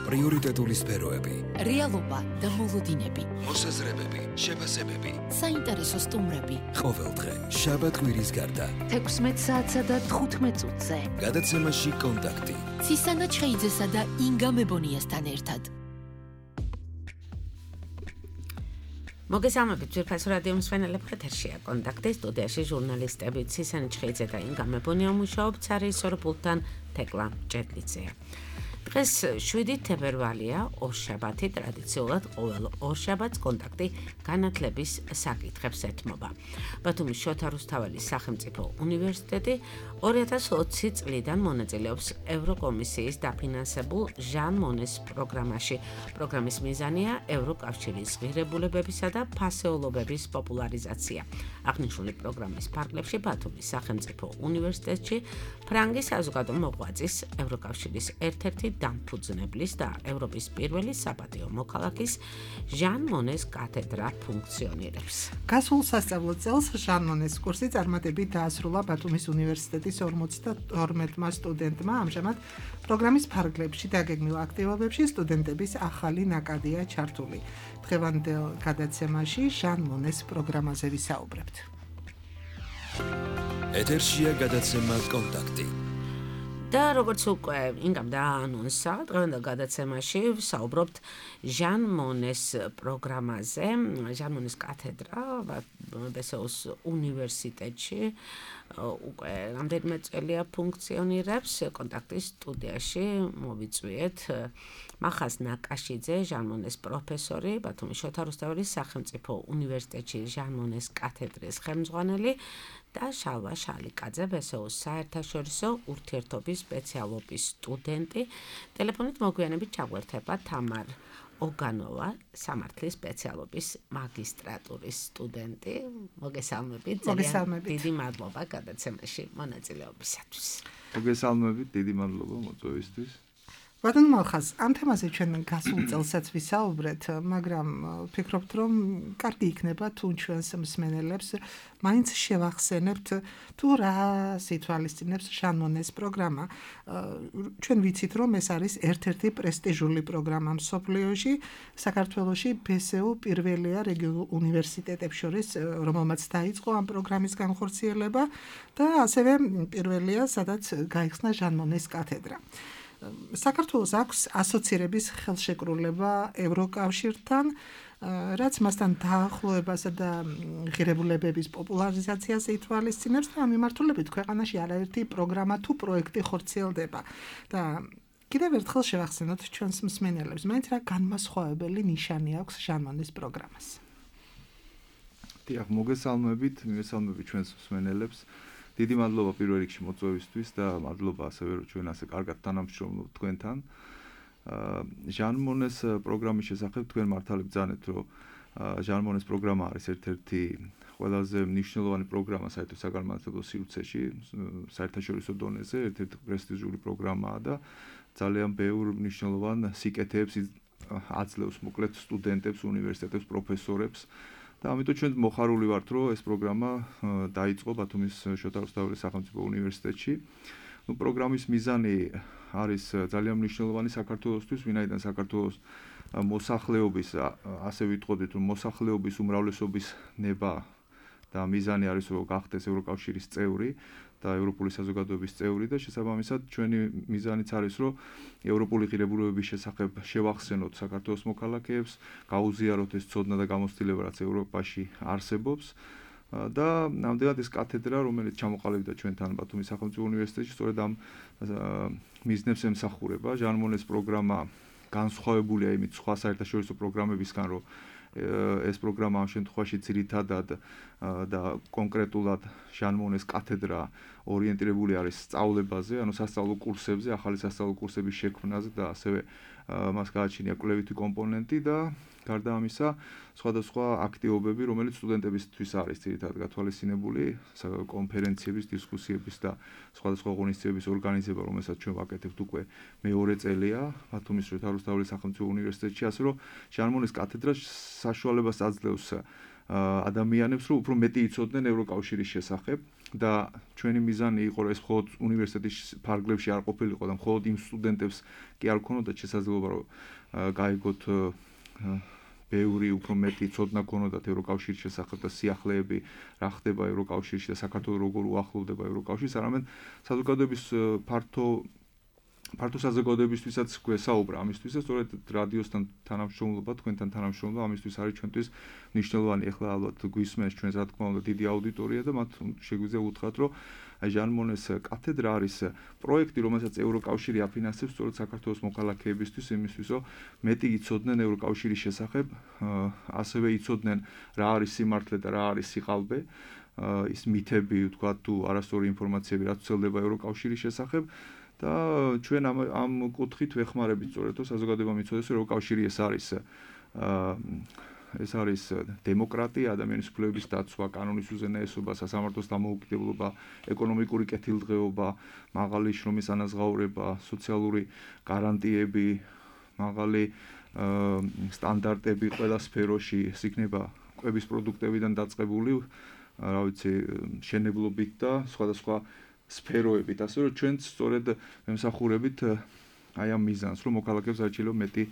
პრიორიტეტული სფეროები, რეალობა და მოლოდინები, მოსაზრებები, შეფასებები, საინტერესო სტუმრები. ყოველდღე შაბათ-კვირის გარდა 16 საათსა და 15 წუთზე. გადაცემაში კონტაქტი. ცისანა ჩხეიძესა და ინგა მებონიასთან ერთად. მოგესალმებით ძვირფასო რადიო მსმენელებს, ეთერშია კონტაქტი, სტუდიაში ჟურნალისტები ცისანა ჩხეიძე და ინგა მებონია მუშაობთ ცარის სორბულთან თეკლა ჭედლიძეა. დღეს 7 თებერვალია, ორშაბათი, ტრადიციულად ყოველ ორშაბათს კონტაქტი განათლების საკითხებს ეთმობა. ბათუმის შოთა რუსთაველის სახელმწიფო უნივერსიტეტი 2020 წლიდან მონაწილეობს ევროკომისიის დაფინანსებულ ჟან მონეს პროგრამაში. პროგრამის მიზანია ევროკავშირის ღირებულებებისა და ფასეულობების პოპულარიზაცია. აღნიშნული პროგრამის ფარგლებში ბათუმის სახელმწიფო უნივერსიტეტში ფრანგის საზოგადო მოღვაწის ევროკავშირის ერთ-ერთი დამფუძნებლის და ევროპის პირველი საპატიო მოქალაქის ჟან მონეს კათედრა ფუნქციონირებს. გასულ სასწავლო წელს ჟან მონეს კურსი წარმატებით დაასრულა ბათუმის უნივერსიტეტის 52 სტუდენტმა. ამჟამად პროგრამის ფარგლებში დაგეგმილ აქტივობებში სტუდენტების ახალი ნაკადია ჩართული. დღევანდელ გადაცემაში ჟან მონეს პროგრამაზე ვისაუბრებთ. ეთერშია გადაცემა კონტაქტი. და როგორც უკვე ინგამ დაანონსა, დღევანდელ გადაცემაში ვსაუბრობთ ჟან მონეს პროგრამაზე. ჟან მონეს კათედრა ბესეუს უნივერსიტეტში უკვე რამდენიმე წელია ფუნქციონირებს. კონტაქტის სტუდიაში მოვიწვიეთ მახას ნაკაშიძე, ჟან მონეს პროფესორი, ბათუმის შოთა რუსთაველის სახელმწიფო უნივერსიტეტში ჟან მონეს კათედრის ხელმძღვანელი და შალვა შალიკაძე, ბესეუს საერთაშორისო ურთიერთობის სპეციალობის სტუდენტი. ტელეფონით მოგვიანებით ჩაგვერთება თამარ ოგანოვა, სამართლის სპეციალობის მაგისტრატურის სტუდენტი. მოგესალმებით. დიდი მადლობა გადაცემაში მონაწილეობისათვის. მოგესალმებით, დიდი მადლობა მოწვევისთვის. ბატონო მალხაზ, ამ თემაზე ჩვენ გასულ წელსაც ვისაუბრეთ, მაგრამ ვფიქრობთ, რომ კარგი იქნება თუ ჩვენს მსმენელებს მაინც შევახსენებთ თუ რა ითვალისწინებს ჟან მონეს პროგრამა. ჩვენ ვიცით, რომ ეს არის ერთ-ერთი პრესტიჟული პროგრამა მსოფლიოში, საქართველოში ბესეუ პირველია რეგიონულ უნივერსიტეტებს შორის, რომელმაც დაიწყო ამ პროგრამის განხორციელება და ასევე პირველია, სადაც გაიხსნა ჟან მონეს კათედრა. საქართველოს აქვს ასოცირების ხელშეკრულება ევროკავშირთან, რაც მასთან დაახლოებასა და ღირებულებების პოპულარიზაციას ითვალისწინებს და ამ მიმართულებით ქვეყანაში არაერთი პროგრამა თუ პროექტი ხორციელდება. და კიდევ ერთხელ შევახსენოთ ჩვენს მსმენელებს, მაინც რა განმასხვავებელი ნიშანი აქვს ჟან მონეს პროგრამას. დიახ, მოგესალმებით ჩვენს მსმენელებს. დიდი მადლობა პირველ რიგში მოწვევისთვის და მადლობა ასევე რომ ჩვენ ასე კარგად თანამშრომლობთ თქვენთან. ჟან მონეს პროგრამის შესახებ თქვენ მართალი ბრძანეთ, რომ ჟან მონეს პროგრამა არის ერთ-ერთი ყველაზე მნიშვნელოვანი პროგრამა საერთო საგანმანათლებლო სივრცეში, საერთაშორისო დონეზე, ერთ-ერთი პრესტიჟული პროგრამაა და ძალიან ბევრ მნიშვნელოვან სიკეთეებს აძლევს მოკლედ სტუდენტებს, უნივერსიტეტებს, პროფესორებს. და ამიტომ ჩვენ მოხარული ვართ, რომ ეს პროგრამა დაიწყო ბათუმის შოთა რუსთაველის სახელმწიფო უნივერსიტეტში. პროგრამის მიზანი არის ძალიან მნიშვნელოვანი საქართველოსთვის, ვინაიდან საქართველოს მოსახლეობის, ასე ვიტყოდით, რომ მოსახლეობის უმრავლესობის ნება და მიზანი არის, რომ გახდეს ევროკავშირის წევრი და ევროპული საზოგადოების წევრი და შესაბამისად ჩვენი მიზანიც არის, რომ ევროპული ღირებულებების შესახებ შევახსენოთ საქართველოს მოქალაქეებს, გაუზიაროთ ეს ცოდნა და გამოცდილება, რაც ევროპაში არსებობს და ნამდვილად ეს კათედრა, რომელიც ჩამოყალიბდა ჩვენთან ბათუმის სახელმწიფო უნივერსიტეტში, სწორედ ამ მიზნებს ემსახურება. ჟან მონეს პროგრამა განსხვავებულია იმით სხვა საერთაშორისო პროგრამებისგან, რომ ეს პროგრამა ამ შემთხვევაში ძირითადად და კონკრეტულად ჟან მონეს კათედრა ორიენტირებული არის სწავლებაზე, ანუ სასწავლო კურსებზე, ახალი სასწავლო კურსების შექმნაზე და ასევე მას გააჩნია კვლევითი კომპონენტი და გარდა ამისა სხვადასხვა აქტივობები, რომელიც სტუდენტებისთვის არის ძირითადად გათვალისწინებული, კონფერენციების, დისკუსიების და სხვადასხვა ღონისძიებების ორგანიზება, რომელსაც ჩვენ ვაკეთებთ უკვე მეორე წელია ბათუმის შოთა რუსთაველის სახელმწიფო უნივერსიტეტში, ასე რომ ჟან მონეს კათედრა საშუალებას აძლევს ადამიანებს, რომ უფრო მეტი იცოდნენ ევროკავშირის შესახებ და ჩვენი მიზანი იყო ეს მხოლოდ უნივერსიტეტის ფარგლებში არ ყოფილიყო და მხოლოდ იმ სტუდენტებს კი არ ქონოდათ შესაძლებლობა რომ გაიგოთ ბევრი უფრო მეტი ცოდნა ქონოდათ ევროკავშირის შესახებ და სიახლეები რა ხდება ევროკავშირში და საქართველოს როგორ უახლოვდება ევროკავშირს, არამედ საზოგადოების ფართო საზოგადოებისთვისაც გვესაუბრა ამისთვის და სწორედ რადიოსთან თანამშრომლობა, თქვენთან თანამშრომლობა ამისთვის არის ჩვენთვის მნიშვნელოვანი. ეხლა ალბათ გვისმენს ჩვენს რა თქმა უნდა დიდი აუდიტორია და მათ შეგვიძლია უთხრათ, რომ აი ჟან მონეს კათედრა არის პროექტი, რომელსაც ევროკავშირი აფინანსებს სწორედ საქართველოს მოქალაქეებისთვის, იმისთვის, რომ მეტი იცოდნენ ევროკავშირის შესახებ, ასევე იცოდნენ რა არის სიმართლე და რა არის სიყალბე, ის მითები, ვთქვათ, თუ არასწორი ინფორმაციები რაც ვრცელდება ევროკავშირის შესახებ. და ჩვენ ამ კუთხით ვეხმარებით სწორედ რომ საზოგადოება მიცოდეს რომ ევროკავშირი ეს არის დემოკრატია, ადამიანის უფლებების დაცვა, კანონის უზენაესობა, სასამართლოს დამოუკიდებლობა, ეკონომიკური კეთილდღეობა, მაღალი შრომის ანაზღაურება, სოციალური გარანტიები, მაღალი სტანდარტები ყველა სფეროში, ეს იქნება კვების პროდუქტებიდან დაწყებული, რა ვიცი, შენებლობით და სხვადასხვა სფეროებით, ასე რომ ჩვენც სწორედ ემსახურებით აი ამ მიზანს, რომ მოქალაქეებს აჩილო მეტი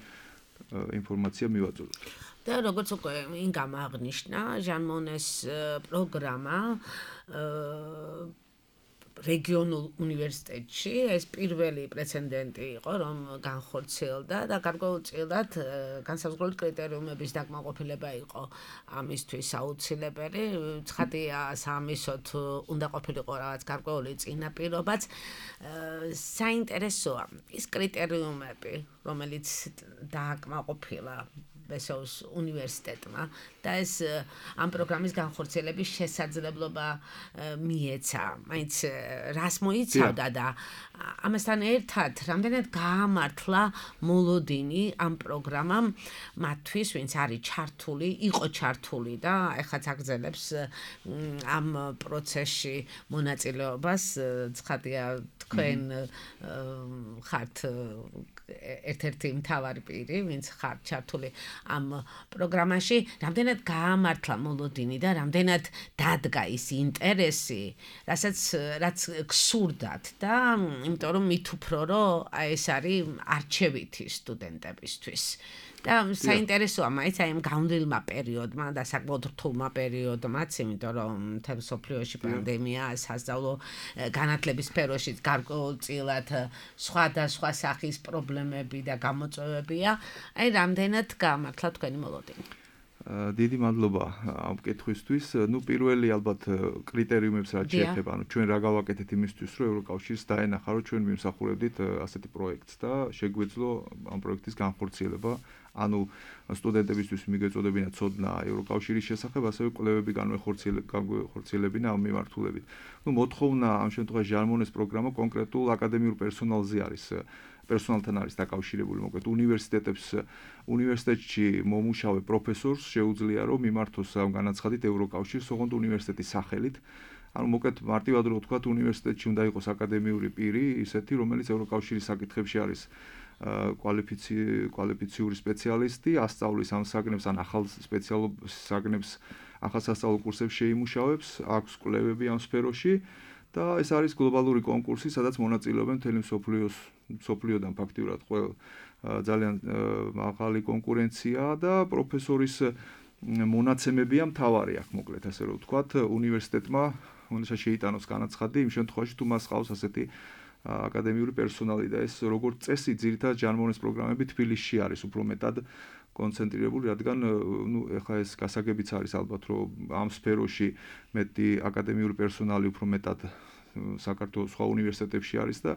ინფორმაცია მივაწოდოთ. და როგორც უკვე ინგამ აღნიშნა, ჟან მონეს პროგრამა რეგიონულ უნივერსიტეტში ეს პირველი პრეცედენტი იყო, რომ განხორციელდა და გარკვეულწილად განსაზღვრული კრიტერიუმების დაკმაყოფილება იყო ამისთვის აუცილებელი. ცხადია, საამისოდ უნდა ყოფილიყო რაღაც გარკვეული წინაპირობაც. საინტერესოა ის კრიტერიუმები, რომელიც დააკმაყოფილა ბესოუს უნივერსიტეტმა და ეს ამ პროგრამის განხორციელების შესაძლებლობა მიეცა. მაინც რას მოიცავდა და ამასთან ერთად რამდენად გაამართლა მოლოდინი ამ პროგრამამ მათთვის, ვინც არის ჩართული, იყო ჩართული და ეხლაც აგრძელებს ამ პროცესში მონაწილეობას. ცხადია, თქვენ ხართ ერთ-ერთი მთავარი პირი, ვინც ხართ ჩართული ამ პროგრამაში, რამდენად გაამართლა მოლოდინი და რამდენად დადგა ის ინტერესი, რაც გსურდათ და იმიტომ რომ მით უფრო რომ ეს არის არჩევითი სტუდენტებისთვის. და საინტერესოა მაინც აი ამ გამდვილმა პერიოდმა და საკმაოდ რთულმა პერიოდმაც, იმიტომ რომ მთელ მსოფლიოში პანდემია, სასწავლო განათლების სფეროში გარკვეულწილად სხვადასხვა სახის პრობლემები და გამოწვევებია. აი რამდენად გაამართლა თქვენი მოლოდინი? დიდი მადლობა ამ კითხვისთვის. ნუ პირველი ალბათ კრიტერიუმებს რაც შეეხება, ანუ ჩვენ რა გავაკეთეთ იმისთვის, რომ ევროკავშირს დაენახა, რომ ჩვენ მიმსახურებდით ასეთი პროექტს და შეგვეძლო ამ პროექტის განხორციელება. ანუ სტუდენტებისთვის მიგეწოდებინა ცოდნა ევროკავშირის შესახებ, ასევე კვლევები განვეხორციელებინა ამ მიმართულებით. ნუ მოთხოვნა ამ შემთხვევაში ჟან მონეს პროგრამა კონკრეტულ აკადემიურ პერსონალზე არის. პერსონალთან არის დაკავშირებული, მოკლედ უნივერსიტეტში მომუშავე პროფესორს შეუძლია რომ მიმართოს ამ განაცხადით ევროკავშირს, ოღონდ უნივერსიტეტის სახელით. ანუ მოკლედ მარტივად რო ვთქვათ, უნივერსიტეტში უნდა იყოს აკადემიური პირი, ისეთი, რომელიც ევროკავშირის საკითხებში არის კვალიფიციური სპეციალისტი, ასწავლის ამ საგნებს ან ახალ სპეციალურ საგნებს, ახალ სასწავლო კურსებს შეიმუშავებს, აქვს კვლევები ამ სფეროში. და ეს არის გლობალური კონკურსი, სადაც მონაწილეობენ მთელი მსოფლიოდან ფაქტიურად ძალიან მაღალი კონკურენცია და პროფესორის მონაცემებია მთავარი აქ, მოკლედ ასე რომ ვთქვათ, უნივერსიტეტმა უნდა შეიტანოს განაცხადი იმ შემთხვევაში, თუ მას ყავს ასეთი აკადემიური პერსონალი და ეს როგორც წესი ძირითადად ჟან მონეს პროგრამები თბილისში არის უფრო მეტად კონცენტრირებული, რადგან ეხლა ეს გასაგებიც არის ალბათ, რომ ამ სფეროში მეტი აკადემიური პერსონალი უფრო მეტად საქართველოს სხვა უნივერსიტეტებში არის და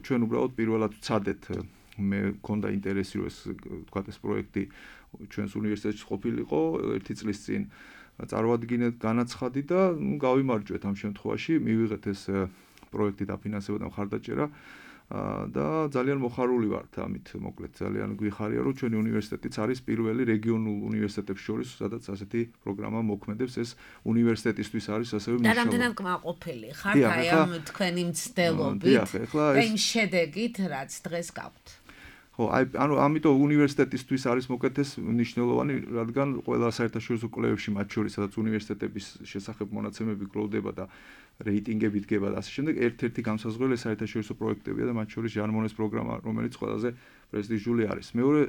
ჩვენ უბრალოდ პირველად ვცადეთ, მე მქონდა ინტერესი, რომ ეს თქვათ ეს პროექტი ჩვენს უნივერსიტეტში ყოფილიყო 1 წლის წინ წარვადგინეთ განაცხადი და გავიმარჯვეთ ამ შემთხვევაში, მივიღეთ ეს პროექტი დაფინანსება და მხარდაჭერა და ძალიან მოხარული ვართ ამით, მოკლედ ძალიან გვიხარია, რომ ჩვენი უნივერსიტეტიც არის პირველი რეგიონულ უნივერსიტეტებს შორის, სადაც ასეთი პროგრამა მოქმედებს, ეს უნივერსიტეტისთვის არის ასევე მნიშვნელოვანი. და რამდენად კმაყოფილი ხართ აი ამ თქვენი მცდელობით და იმ შედეგით, რაც დღეს გაქვთ? ხო, ანუ ამიტომ უნივერსიტეტისთვის არის მოკეთეს მნიშვნელოვანი, რადგან ყველა საერთაშორისო კვლევებში, მათ შორის სადაც უნივერსიტეტების შესახებ მონაცემები გროვდება და რეიტინგები დგება და ასე შემდეგ, ერთ-ერთი განსაზღვრელი საერთაშორისო პროექტებია და მათ შორის ჟან-მონეს პროგრამა, რომელიც ყველაზე პრესტიჟული არის. მეორე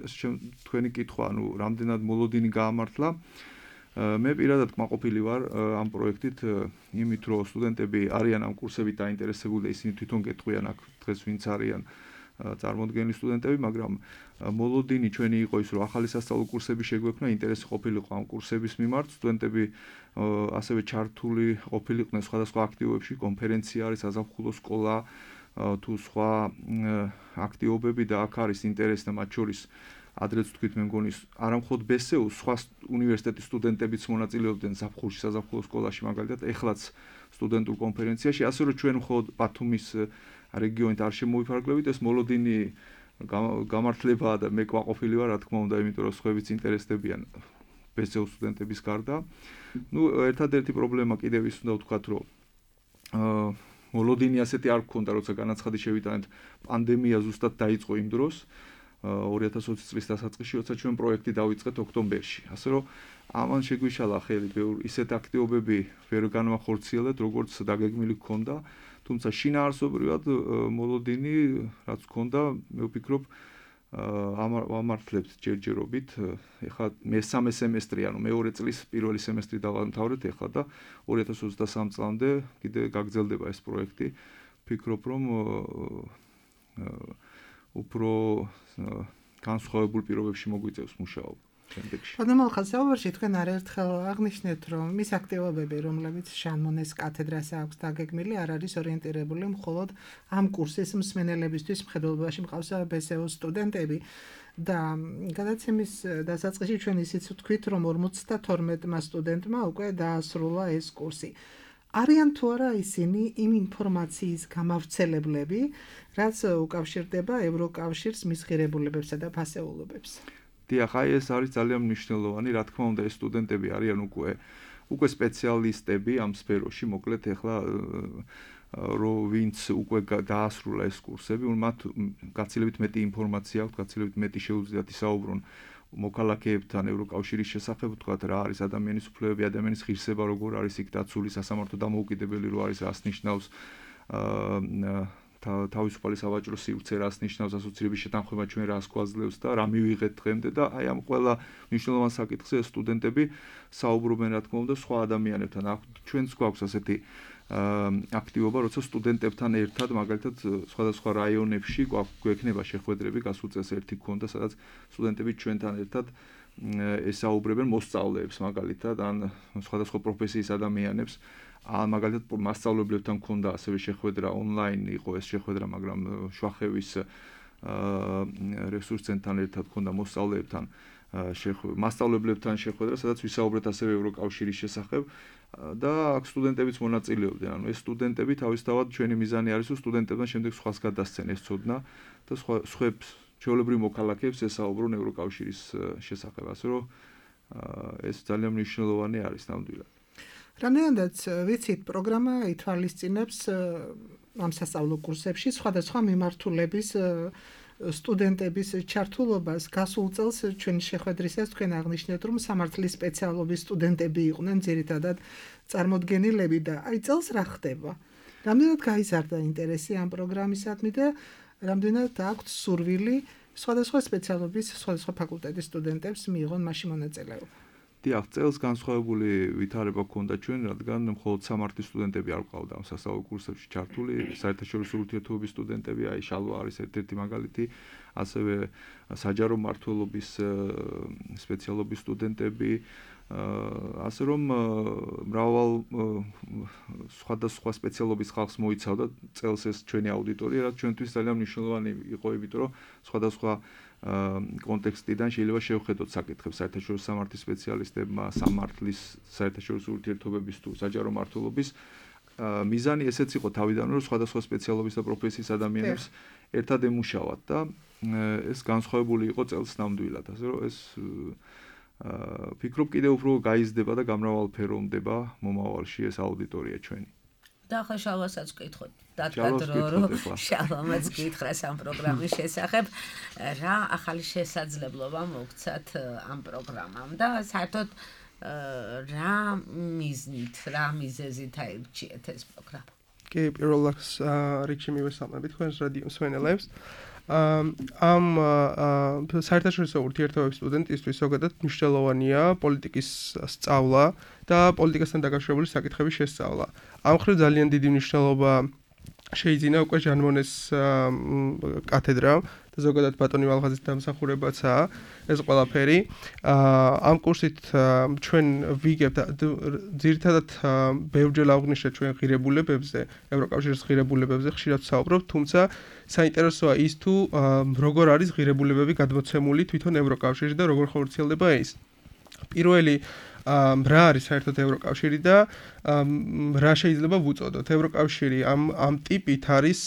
თქვენი კითხვა, ანუ რამდენად მოლოდინი გაამართლა, მე პირადად კმაყოფილი ვარ ამ პროექტით, იმით რომ სტუდენტები არიან ამ კურსებით დაინტერესებული და ისინი თვითონ გეტყვიან აქ დღეს ვინც არიან წარმოდგენილი სტუდენტები, მაგრამ მოლოდინი ჩვენი იყო ის, რომ ახალი სასწავლო კურსები შეგვექმნა, ინტერესი ყოფილიყო ამ კურსების მიმართ, სტუდენტები ასევე ჩართული ყოფილიყვნენ სხვადასხვა აქტივობებში, კონფერენცია არის, საზაფხულო სკოლა თუ სხვა აქტივობები და აქ არის ინტერესი და მათ შორის ადრეც თქვით მე მგონი არა მხოლოდ ბესეუს, სხვა უნივერსიტეტის სტუდენტებიც მონაწილეობდნენ ზაფხულში საზაფხულო სკოლაში მაგალითად, ეხლაც სტუდენტურ კონფერენციაში, ასე რომ ჩვენ მხოლოდ ბათუმის რეგიონით არ შემოვიფარგლებით, ეს მოლოდინი გამართლებაა და მე კმაყოფილი ვარ, რა თქმა უნდა, იმიტომ რომ სხვაებიც ინტერესდებიან ბესეუს სტუდენტების გარდა. ერთადერთი პრობლემა კიდევ ის უნდა ვთქვათ, რომ მოლოდინი ასეთი არ გქონდა, როცა განაცხადი შევიტანეთ, პანდემია ზუსტად დაიწყო იმ დროს, 2020 წლის დასაწყისში, როცა ჩვენ პროექტი დავიწყეთ ოქტომბერში. ასე რომ ამან შეგვიშალა ხელი ისეთ აქტივობები ვერ განვახორციელეთ, როგორც დაგეგმილი გქონდა. თუმცა შინაარსობრივად მოლოდინი რაც გქონდა, მე ვფიქრობ, ამართლებთ ჯერჯერობით. ეხლა მესამე სემესტრი, ანუ მეორე წლის პირველი სემესტრი დავამთავრეთ ეხლა და 2023 წლამდე კიდე გაგრძელდება ეს პროექტი. ვფიქრობ, რომ უფრო განსხვავებულ პირობებში მოგვიწევს მუშაობა შემდეგში. ბატონო ხალხსაუბარში თქვენ არაერთხელ აღნიშნეთ, რომ მის აქტივობები, რომლებიც ჟან-მონეს კათედრას აქვს დაგეგმილი, არ არის ორიენტირებული მხოლოდ ამ კურსის მსმენელებისთვის, მხედველობაში მყავს ბესეუს სტუდენტები და გადაცემის დასაწყისში ჩვენ ისიც ვთქვით, რომ 52-მა სტუდენტმა უკვე დაასრულა ეს კურსი. არიან თუ არა ისინი იმ ინფორმაციის გამავრცელებლები, რაც უკავშირდება ევროკავშირის მის ღირებულებებსა და ფასეულობებს. დიახ, ეს არის ძალიან მნიშვნელოვანი, რა თქმა უნდა, ეს სტუდენტები არიან უკვე სპეციალისტები ამ სფეროში, მოკლედ ეხლა რომ ვინც უკვე დაასრულა ეს კურსები, მათ გაცილებით მეტი ინფორმაცია აქვს, გაცილებით მეტი შეუძლიათ ისაუბრონ მოქალაქეებთან ევროკავშირის შესახებ, თქვათ რა არის ადამიანის უფლებები, ადამიანის ღირსება როგორ არის იქ დაცული, სასამართლო დამოუკიდებელი რო არის, რას ნიშნავს თავისუფალი სავაჭრო სივრცე, რას ნიშნავს ასოცირების შეთანხმება, ჩვენ რას გვაძლევს და რა მივიღეთ დღემდე და აი ამ ყველა მნიშვნელოვან საკითხზე სტუდენტები საუბრობენ, რა თქმა უნდა, სხვა ადამიანებთან. ჩვენც გვაქვს ასეთი აქტივობა, როცა სტუდენტებთან ერთად, მაგალითად, სხვადასხვა რაიონებში გვექნება შეხვედრები, გასულ წელს ერთი გქონდა, სადაც სტუდენტები ჩვენთან ერთად ესაუბრებენ მოსწავლეებს, მაგალითად, ან სხვადასხვა პროფესიის ადამიანებს. მაგალითად, მასწავლებლებთან გქონდა ასევე შეხვედრა ონლაინ იყო ეს შეხვედრა, მაგრამ შვახევის რესურს ცენტრთან ერთად გქონდა მოსწავლეებთან მასწავლებლებთან შეხვედრა, სადაც ვისაუბრეთ ასევე ევროკავშირის შესახებ და აქ სტუდენტებიც მონაწილეობდნენ. ანუ ეს სტუდენტები თავისთავად ჩვენი მიზანი არის, რომ სტუდენტებთან შემდეგ სხვას გადასცენ ეს ცოდნა და სხვებს ჩვეულებრივ მოქალაქეებს ესაუბრონ ევროკავშირის შესახებ. ასე რომ ეს ძალიან მნიშვნელოვანი არის ნამდვილად. რამდენადაც ვიცით, პროგრამა ითვალისწინებს ამ სასწავლო კურსებში სხვადასხვა მიმართულების სტუდენტების ჩართულობას. გასულ წელს ჩვენი შეხვედრისას თქვენ აღნიშნეთ, რომ სამართლის სპეციალობის სტუდენტები იყვნენ ძირითადად წარმოდგენილები და აი წელს რა ხდება? რამდენად გაიზარდა ინტერესი ამ პროგრამისადმი და რამდენად აქვთ სურვილი სხვადასხვა სპეციალობის, სხვადასხვა ფაკულტეტის სტუდენტებს მიიღონ მასში მონაწილეობა? დიახ, წელს განსხვავებული ვითარება ჰქონდა ჩვენ, რადგან მხოლოდ სამართლის სტუდენტები არ ყავდა ამ სასწავლო კურსებში ჩართული, საერთაშორისო ურთიერთობების სტუდენტები, აი შალვა არის ერთ-ერთი მაგალითი, ასევე საჯარო მმართველობის სპეციალობის სტუდენტები, ასე რომ მრავალ სხვადასხვა სპეციალობის ხალხს მოიცავდა წელს ეს ჩვენი აუდიტორია, რაც ჩვენთვის ძალიან მნიშვნელოვანი იყო, იმიტომ რომ სხვადასხვა კონტექსტიდან შეიძლება შევხედოთ საკითხებს საერთაშორისო სამართლის სპეციალისტებმა, სამართლის საერთაშორისო ურთიერთობების თუ საჯარო მმართველობის მიზანი ესეც იყო თავიდანვე, რომ სხვადასხვა სპეციალობის და პროფესიის ადამიანებს ერთად ემუშავათ და ეს განსხვავებული იყო წელს ნამდვილად, ასე რომ ეს ვფიქრობ კიდევ უფრო გაიზრდება და გამრავალფეროვდება მომავალში ეს აუდიტორია ჩვენი. და ახლა შალვასაც ვკითხოთ დათქვა შალვამაც გითხრას ამ პროგრამის შესახებ რა ახალი შესაძლებლობა მოგცათ ამ პროგრამამ და საერთოდ რა მიზნით რა მიზეზით აირჩიეთ ეს პროგრამა კი პირველ რიგში მივესალმებით თქვენს რადიო მსმენელებს ამ საერთაშორისო ურთიერთობების სტუდენტისთვის ზოგადად მნიშვნელოვანია პოლიტიკის სწავლა და პოლიტიკასთან დაკავშირებული საკითხების შესწავლა. ამ მხრივ ძალიან დიდი მნიშვნელობა შეიძინა უკვე ჟან მონეს კათედრა და ზოგადად ბატონი ვალღაზის დამსახურებაცაა ეს ყველაფერი. ამ კურსით ჩვენ ვიგებთ ძირითადად ბევრჯერ აღვნიშნეთ ჩვენ ღირებულებებზე, ევროკავშირის ღირებულებებზე ხშირად ვსაუბრობთ, თუმცა საინტერესოა ის თუ როგორ არის ღირებულებები გადმოცემული თვითონ ევროკავშირში და როგორ ხორციელდება ის. პირველი რა არის საერთოდ ევროკავშირი და რა შეიძლება ვუწოდოთ. ევროკავშირი ამ ტიპით არის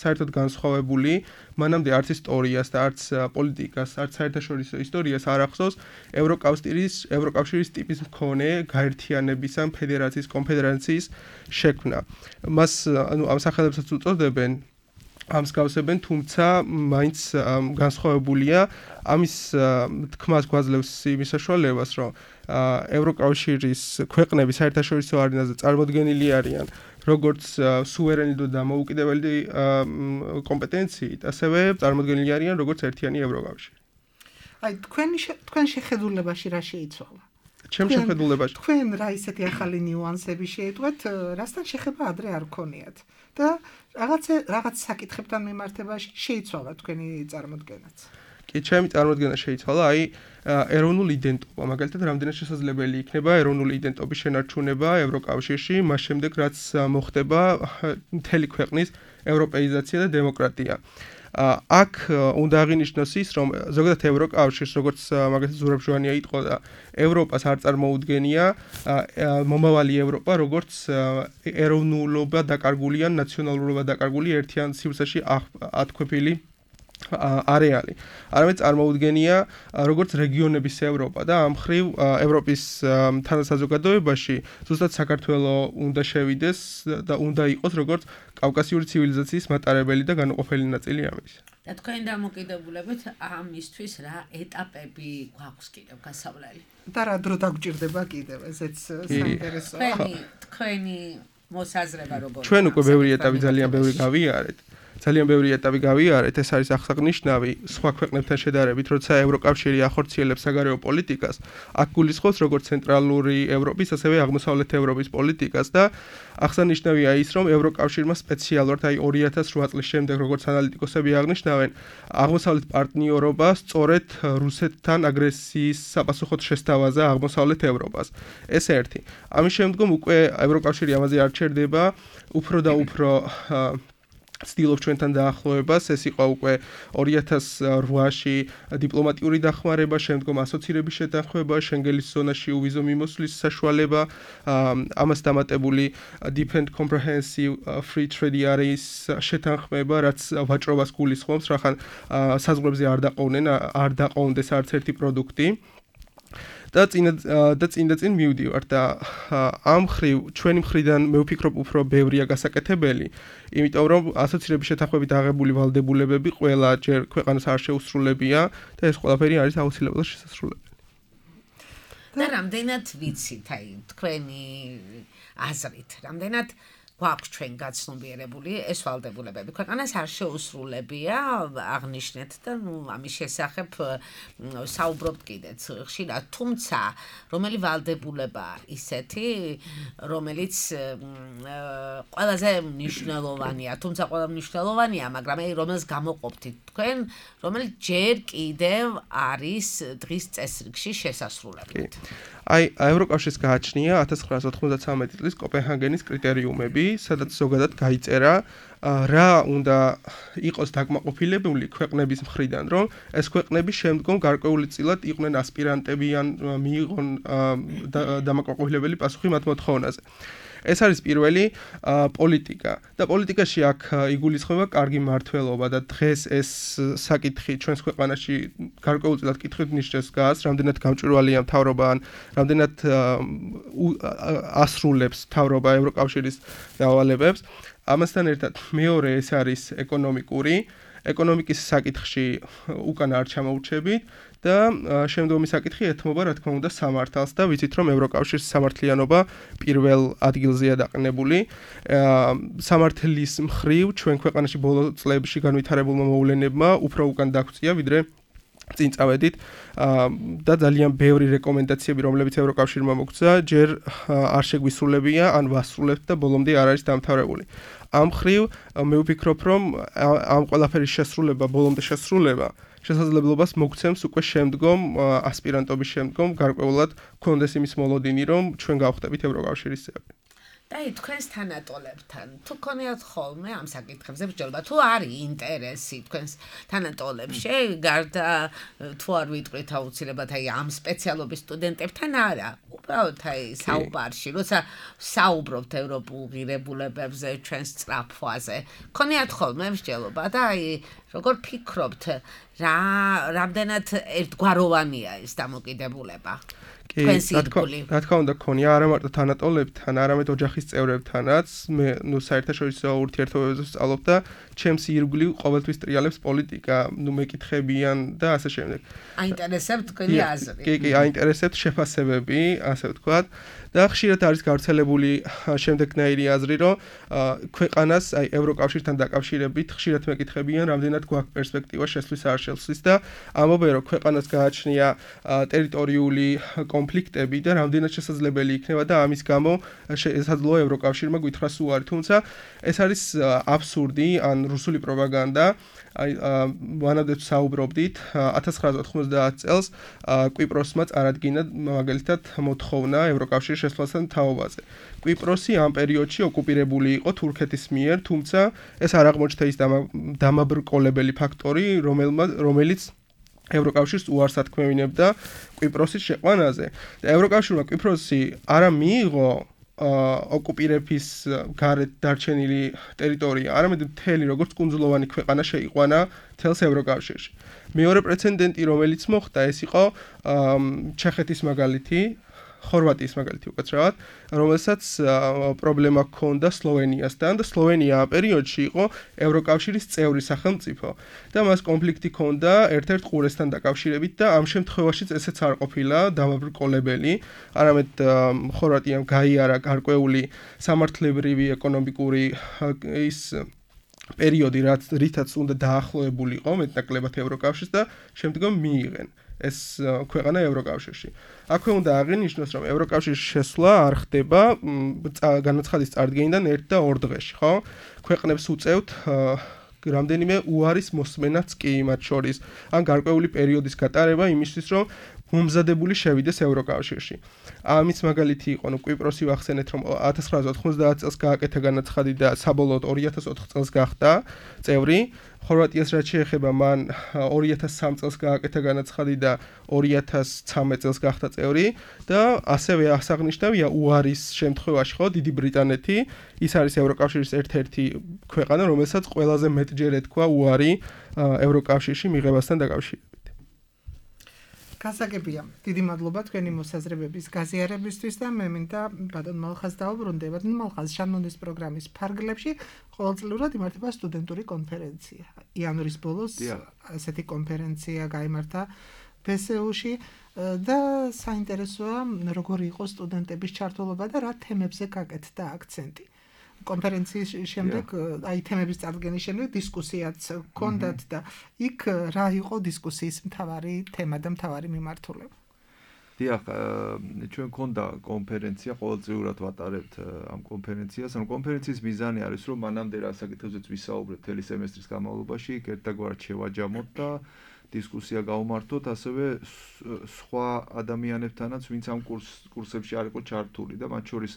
საერთოდ განსხვავებული, მანამდე არც ისტორიას და არც პოლიტიკას, არც საერთაშორისო ისტორიას არ ახსოვს ევროკავშირის ტიპის მქონე გაერთიანების ან ფედერაციის, კონფედერაციის შექმნა. მას ამ სახელებსაც უწოდებენ ამ მსგავსებენ, თუმცა მაინც განსხვავებულია. ამის თქმას გვაძლევს იმის საშუალებას, რომ ევროკავშირის ქვეყნები საერთაშორისო არენაზე წარმოდგენილი არიან როგორც სუვერენული და დამოუკიდებელი კომპეტენციით, ასევე წარმოდგენილი არიან როგორც ერთიანი ევროკავშირი. აი თქვენ შეხედულებაში რა შეიცვალა? ჩემ შეხედულებაში თქვენ რა ისეთი ახალი ნიუანსები შეიტყვეთ, რასთან შეხება ადრე არ გქონიათ და რაღაც საკითხებთან მიმართებაში შეიცვალა თქვენი წარმოდგენაც. კი, ჩემი წარმოდგენა შეიცვალა, აი ეროვნული იდენტობა, მაგალითად, რამდენად შესაძლებელი იქნება ეროვნული იდენტობის შენარჩუნება ევროკავშირში, მას შემდეგ რაც მოხდება მთელი ქვეყნის ევროპეიზაცია და დემოკრატია. აქ უნდა აღინიშნოს ის, რომ ზოგადად ევროკავშირს, როგორც მაგალითად ზურაბ-ჟვანია იტყოდა და ევროპას არ წარმოუდგენია მომავალი ევროპა, როგორც ეროვნულობა დაკარგული ან ნაციონალურობა დაკარგული ერთიან სივრცეში ათქვეფილი არეალი. არამედ წარმოუდგენია როგორც რეგიონების ევროპა და ამ მხრივ ევროპის თანასაზოგადოებაში ზუსტად საქართველოს უნდა შევიდეს და უნდა იყოს როგორც კავკასიური ცივილიზაციის მატარებელი და განუყოფელი ნაწილი ამის. და თქვენ დამოკიდებულებით ამისთვის რა ეტაპები გვაქვს კიდევ გასავლელი? და რა დრო დაგჭირდება კიდევ, ესეც საინტერესოა. თქვენი მოსაზრება როგორია? ჩვენ უკვე ბევრი ეტაპი ძალიან ბევრი გავიარეთ. ეს არის აღსანიშნავი სხვა ქვეყნებთან შედარებით, როცა ევროკავშირი ახორციელებს საგარეო პოლიტიკას, აქ გულისხმობს როგორც ცენტრალური ევროპის, ასევე აღმოსავლეთ ევროპის პოლიტიკას და აღსანიშნავია ის, რომ ევროკავშირმა სპეციალურად აი 2008 წლის შემდეგ, როგორც ანალიტიკოსები აღნიშნავენ, აღმოსავლეთ პარტნიორობა სწორედ რუსეთთან აგრესიის საპასუხოდ შესთავაზა აღმოსავლეთ ევროპას. ეს ერთი. ამის შემდგომ უკვე ევროკავშირი ამაზე არ ჩერდება, უფრო და უფრო ცდილობს ჩვენთან დაახლოებას, ეს იყო უკვე 2008-ში დიპლომატიური დახმარება, შემდგომ ასოცირების შეთანხმება, შენგენის ზონაში უვიზო მიმოსვლის საშუალება, ამას დამატებული Deep and Comprehensive Free Trade Areas შეთანხმება, რაც ვაჭრობას გულისხმობს, რახან საზღვრებზე არ დაყოვნდეს არც ერთი პროდუქტი. და წინ მივდივარ და ამ მხრივ ჩვენი მხრიდან მე ვფიქრობ უფრო ბევრია გასაკეთებელი, იმიტომ რომ ასოცირების შეთანხმებით აღებული ვალდებულებები ყველა ჯერ ქვეყანას არ შეუსრულებია და ეს ყველაფერი არის აუცილებლად შესასრულებელი. და რამდენად ვიცით, აი თქვენი აზრით, რამდენად გვაქვს ჩვენ გაცნობიერებული ეს ვალდებულებები. ქვეყანას არ შეუსრულებია, აღნიშნეთ და ამის შესახებ საუბრობთ კიდეც ხშირად, თუმცა რომელი ვალდებულება ისეთი, რომელიც ყველაზე მნიშვნელოვანია, თუმცა ყველა მნიშვნელოვანია, მაგრამ აი რომელს გამოყოფთ თქვენ, რომელიც ჯერ კიდევ არის დღის წესრიგში შესასრულებლად. აი ევროკავშირს გააჩნია 1993 წლის კოპენჰაგენის კრიტერიუმები, სადაც ზოგადად გაიწერა რა უნდა იყოს დაკმაყოფილებული ქვეყნების მხრიდან, რომ ეს ქვეყნები შემდგომ გარკვეულწილად იყვნენ ასპირანტები ან მიიღონ დამაკმაყოფილებელი პასუხი მათ მოთხოვნაზე. ეს არის პირველი პოლიტიკა და პოლიტიკაში აქ იგულისხმება კარგი მმართველობა და დღეს ეს საკითხი ჩვენს ქვეყანაში გარკვეულწილად კითხვით ნიშნებს დგას, რამდენად გამჭვირვალეა მთავრობა ან რამდენად ასრულებს მთავრობა ევროკავშირის დავალებებს. ამასთან ერთად მეორე ეს არის ეკონომიკის საკითხში უკან არ ჩამოურჩებით და შემდგომი საკითხი ეთმობა რა თქმა უნდა სამართალს და ვიცით რომ ევროკავშირის სამართლიანობა პირველ ადგილზეა დაყნებული. სამართლის მხრივ ჩვენ ქვეყანაში ბოლო წლებში განვითარებულმა მოვლენებმა უფრო უკან დაგვწია ვიდრე წინ წავედით და ძალიან ბევრი რეკომენდაციები რომლებიც ევროკავშირმა მოგცა ჯერ არ შეგვისრულებია ან ვასრულებთ და ბოლომდე არ არის დამთავრებული. ამ მხრივ მე ვფიქრობ რომ ამ ყველაფერის შესრულება ბოლომდე შესრულება შესაძლებლობას მოგცემს უკვე შემდგომ ასპირანტობის შემდგომ გარკვეულად გქონდეს იმის მოლოდინი რომ ჩვენ გავხდებით ევროკავშირის წევრი. და თქვენს თანატოლებთან თუ გქონიათ ხოლმე ამ საკითხებზე ბრძოლა თუ არის ინტერესი თქვენს თანატოლებში გარდა თუ არ ვიტყვით აუცილებლად აი ამ სპეციალობის სტუდენტებთან არა უბრალოდ აი საუბარში როცა საუბრობთ ევროპულ ღირებულებებზე ჩვენს სწრაფვაზე გქონიათ ხოლმე ბრძოლა და აი როგორ ფიქრობთ რამდენად ერთგვაროვანია ეს დამოკიდებულება რა თქმა უნდა გქონია არა მარტო თანატოლებთან, არამედ ოჯახის წევრებთანაც. მე საერთაშორისო ურთიერთობებზე ვსწავლობ და ჩემს ირგვლივ ყოველთვის ტრიალებს პოლიტიკა, მეკითხებიან და ასე შემდეგ. აინტერესებთ თქვენი აზრი. კი, აინტერესებთ შეფასებები, ასე ვთქვათ. და ხშირად არის გავრცელებული შემდეგნაირი აზრი, რომ ქვეყანას აი ევროკავშირთან დაკავშირებით ხშირად მეკითხებიან, რამდენად გვაქვს პერსპექტივა შესვლის არ შესვლის და ამბობენ, რომ ქვეყანას გააჩნია ტერიტორიული კონფლიქტები და რამდენად შესაძლებელი იქნება და ამის გამო შესაძლოა ევროკავშირმა გითხრას უარი, თუმცა ეს არის აბსურდი ან რუსული პროპაგანდა. აი ვანადებს საუბრობდით 1990 წელს კვიპროსმა წარადგინა მაგალითად მოთხოვნა ევროკავშირის შესვლასთან თაობაზე. კვიპროსი ამ პერიოდში ოკუპირებული იყო თურქეთის მიერ, თუმცა ეს არ აღმოჩნდა ის დამაბრკოლებელი ფაქტორი, რომელიც ევროკავშირს უარს ათქმევინებდა კვიპროსის შეყვანაზე. და ევროკავშირმა კვიპროსი არა მიიღო ოკუპირების გარეთ დარჩენილი ტერიტორია, არამედ მთელი როგორც კუნძულოვანი ქვეყანა შეიყვანა მთელს ევროკავშირში. მეორე პრეცედენტი, რომელიც მოხდა, ეს იყო ჩეხეთის მაგალითი, ხორვატიის მაგალითი უკაცრავად, რომელსაც პრობლემა ჰქონდა სლოვენიასთან და სლოვენია ამ პერიოდში იყო ევროკავშირის წევრი სახელმწიფო და მას კონფლიქტი ჰქონდა ერთ-ერთ ყურესთან დაკავშირებით და ამ შემთხვევაშიც ესეც არ ყოფილა დამაბრკოლებელი, არამედ ხორვატიამ გაიარა გარკვეული სამართლებრივი ეკონომიკური ის პერიოდი, რითაც უნდა დაახლოებულიყო მეტნაკლებად ევროკავშირს და შემდგომ მიიღენ ეს ქვეყანა ევროკავშირში. აქვე უნდა აღინიშნოს, რომ ევროკავშირის შესვლა არ ხდება განაცხადის წარდგენიდან 1 და 2 დღეში, ხო? ქვეყნებს უწევთ რამდენიმე უარის მოსმენაც კი მათ შორის, ან გარკვეული პერიოდის გატარება იმისთვის, რომ მომზადებული შევიდეს ევროკავშირში. ამის მაგალითი იყო, კვიპროსი ვახსენეთ, რომ 1990 წელს გააკეთა განაცხადი და საბოლოოდ 2004 წელს გახდა წევრი. ხორვატიას რაც შეეხება, მან 2003 წელს გააკეთა განაცხადი და 2013 წელს გახდა წევრი და ასევე აღსანიშნავია უარის შემთხვევაში, ხო, დიდი ბრიტანეთი, ის არის ევროკავშირის ერთ-ერთი ქვეყანა, რომელსაც ყველაზე მეტჯერ ეთქვა უარი ევროკავშირში მიღებასთან დაკავშირებით. გასაგებია. დიდი მადლობა თქვენი მოსაზრებების გაზიარებისთვის და მე მინდა ბატონ მალხაზს დავუბრუნდე. ბატონ მალხაზ, შანონის პროგრამის ფარგლებში ყოველწლიურად იმართება სტუდენტური კონფერენცია. იანვრის ბოლოს ასეთი კონფერენცია გაიმართა ბსეუში და საინტერესოა როგორი იყო სტუდენტების ჩართულობა და რა თემებზე გაკეთდა აქცენტი. კონფერენციის შემდეგ, აი თემების წარდგენის შემდეგ დისკუსიაც ჰქონდათ და იქ რა იყო დისკუსიის მთავარი თემა და მთავარი მიმართულება? დიახ, ჩვენ გქონდა კონფერენცია, ყოველწლიურად ვატარებთ ამ კონფერენციას. ამ კონფერენციის მიზანი არის, რომ მანამდე რა საკითხებზეც ვისაუბრებთ მთელი სემესტრის განმავლობაში, ერთგვარად შევაჯამოთ და დისკუსია გავმართოთ, ასევე სხვა ადამიანებთანაც, ვინც ამ კურსებში არ იყო ჩართული და მათ შორის